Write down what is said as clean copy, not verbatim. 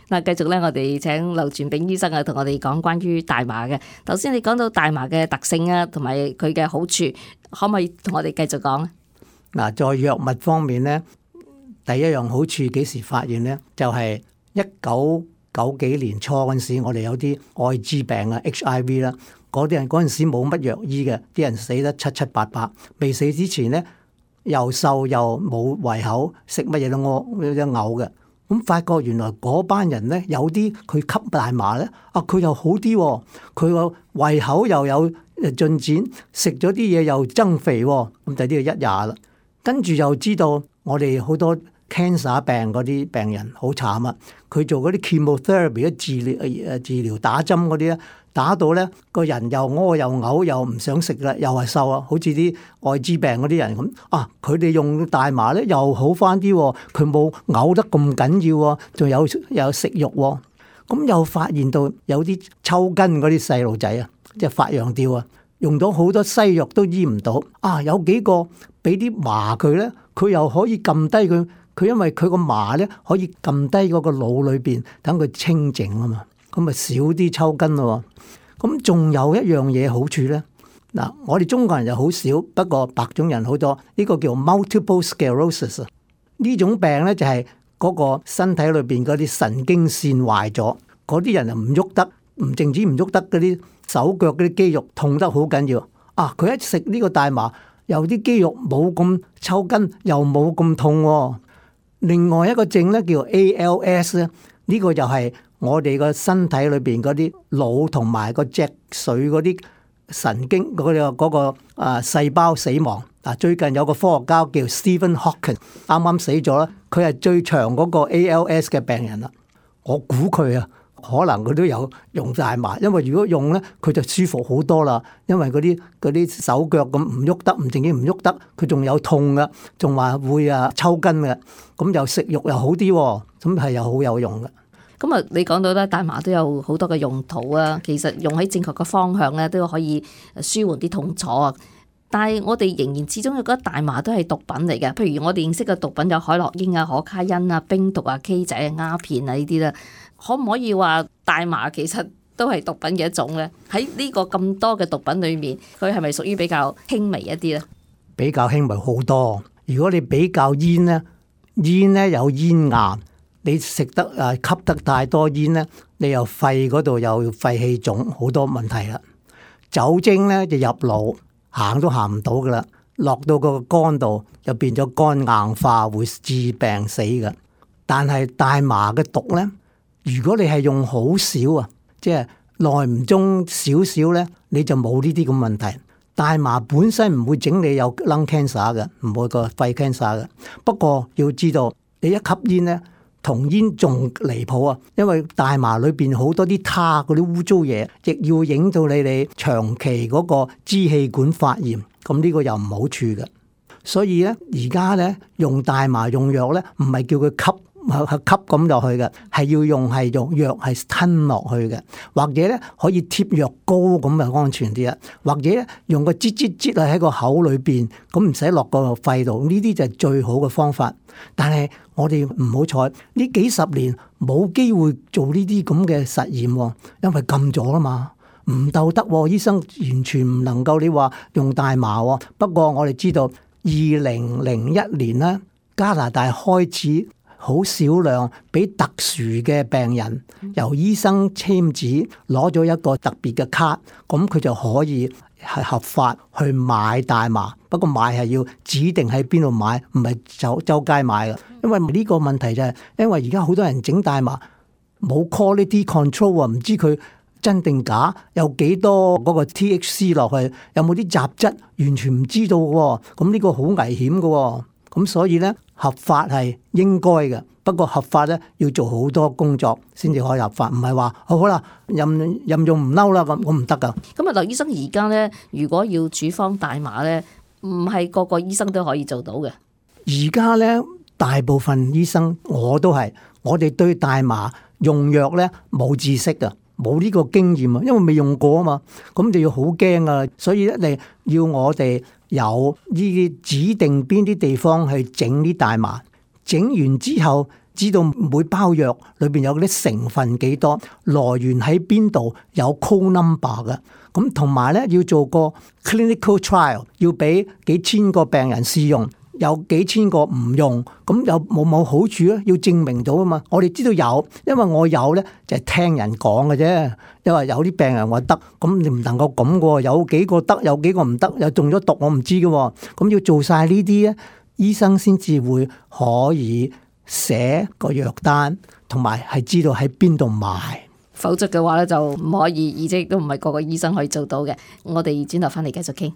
嗱，繼續咧，我哋請劉傳炳醫生啊，同我哋講關於大麻嘅。頭先你講到大麻嘅特性啊，同埋佢嘅好處，可唔可以同我哋繼續講啊？嗱，在藥物方面咧，第一樣好處幾時發現咧？就係1990幾年初嗰陣時，我哋有啲愛滋病啊 HIV 啦，嗰啲人嗰陣時冇乜藥醫嘅，啲人死得七七八八。未死之前咧，又瘦又冇胃口，食乜嘢都屙嘅。咁發覺原來嗰班人咧，有啲佢吸大麻咧，佢又好啲喎，佢個胃口又有進展，食咗啲嘢又增肥喎，咁就呢個一廿啦。跟住又知道我哋好多 cancer 病嗰啲病人好慘啊，佢做嗰啲 chemotherapy 治療打針嗰啲咧，打到咧個人又屙又嘔又唔想食啦，又係瘦啊，好似啲愛滋病嗰啲人咁佢哋用大麻咧又好翻啲，佢冇嘔得咁緊要，仲有食慾喎。咁又發現到有啲抽筋嗰啲細路仔啊，即係發羊吊啊，用咗好多西藥都醫唔到有幾個俾啲麻佢咧，佢又可以撳低佢因為佢個麻咧可以撳低嗰個腦裏邊，等佢清靜啊嘛，咁咪少啲抽筋咯。咁仲有一樣嘢好處咧，嗱，我哋中國人就好少，不過白種人好多。呢個叫 multiple sclerosis 呢種病咧就係嗰個身體裏邊嗰啲神經線壞咗，嗰啲人就唔喐得，唔淨止唔喐得，嗰啲手腳嗰啲肌肉痛得好緊要。佢一食呢個大麻，有啲肌肉冇咁抽筋，又冇咁痛。另外一個症咧叫 ALS 咧，呢個就係我哋個身體裏邊嗰啲腦同埋個脊髓嗰啲神經嗰個細胞死亡。最近有個科學家叫 Stephen Hawking 啱啱死咗啦，佢係最長嗰個 ALS 嘅病人啦。我估佢可能佢都有用大麻，因為如果用咧，佢就舒服好多啦。因為嗰啲手腳咁唔喐得，唔淨止唔喐得，佢仲有痛嘅，仲話會抽筋嘅。咁又食慾又好啲，咁係又好有用嘅。咁你講到咧，大麻都有好多嘅用途啊。其實用喺正確嘅方向咧，都可以舒緩啲痛楚啊。但係我哋仍然始終覺得大麻都係毒品嚟嘅。譬如我哋認識嘅毒品有海洛因啊、可卡因啊、冰毒啊、K 仔啊、鴉片啊呢啲咧，可唔可以話大麻其實都係毒品嘅一種咧？喺呢個咁多嘅毒品裏面，佢係咪屬於比較輕微一啲咧？比較輕微好多。如果你比較煙咧有煙癌，你食得吸得太多煙咧，你又肺嗰度又肺氣腫，好多問題啦。酒精咧就入腦，行都行唔到噶啦，落到個肝度就變咗肝硬化，會致病死噶。但係大麻嘅毒咧，如果你係用好少即係耐唔中少少咧，你就冇呢啲咁問題。大麻本身唔會整你有 lung cancer 嘅，唔會個肺 cancer 嘅。不過要知道，你一吸煙咧，同煙仲離譜啊！因為大麻裏邊好多啲他嗰啲污糟嘢，亦要影到你長期嗰個支氣管發炎，咁呢個又唔好處嘅。所以咧，而家咧用大麻用藥咧，唔係叫佢吸咁落去嘅，係要用藥係吞落去嘅，或者咧可以貼藥膏咁就安全啲啦，或者咧用個擠喺個口裏邊，咁唔使落個肺度，呢啲就係最好嘅方法。但係我哋唔好彩，呢幾十年冇機會做呢啲咁嘅實驗，因為禁咗啦嘛，唔鬥得，醫生完全唔能夠你話用大麻。不過我哋知道2001年咧，加拿大開始好少量俾特殊嘅病人由醫生簽紙攞咗一個特別嘅卡，咁佢就可以係合法去買大麻。不過買係要指定喺邊度買，唔係周街買嘅。因為呢個問題就係，因為而家好多人整大麻冇 quality control 啊，唔知佢真定假，有幾多嗰個 THC 落去，有冇啲雜質，完全唔知道嘅。咁呢個好危險嘅。咁所以咧，合法係應該嘅，不過合法咧要做好多工作先至可以合法，唔係話好啦，任用唔嬲啦，咁我唔得噶。咁劉醫生而家咧，如果要處方大麻咧，唔係個個醫生都可以做到嘅。而家咧，大部分醫生我哋對大麻用藥咧冇知識噶，冇呢個經驗啊，因為未用過啊嘛，咁就要好驚啊，所以咧你要我哋有呢啲指定邊啲地方去整啲大麻，整完之後知道每包藥裏邊有嗰啲成分幾多，來源喺邊度，有 code number 嘅。咁同埋咧要做個 clinical trial， 要俾幾千個病人試用，有幾千個唔用，咁有冇好處咧？要證明到啊嘛。我哋知道有，因為我有咧就係聽人講嘅啫。因為有啲病人話得，咁你唔能夠咁嘅，有幾個得，有幾個唔得，又中咗毒，我唔知嘅。咁要做晒呢啲咧，醫生先至會可以寫個藥單，同埋係知道喺邊度買。否則嘅話咧就唔可以，而且亦都唔係個個醫生可以做到嘅。我哋轉頭翻嚟繼續傾。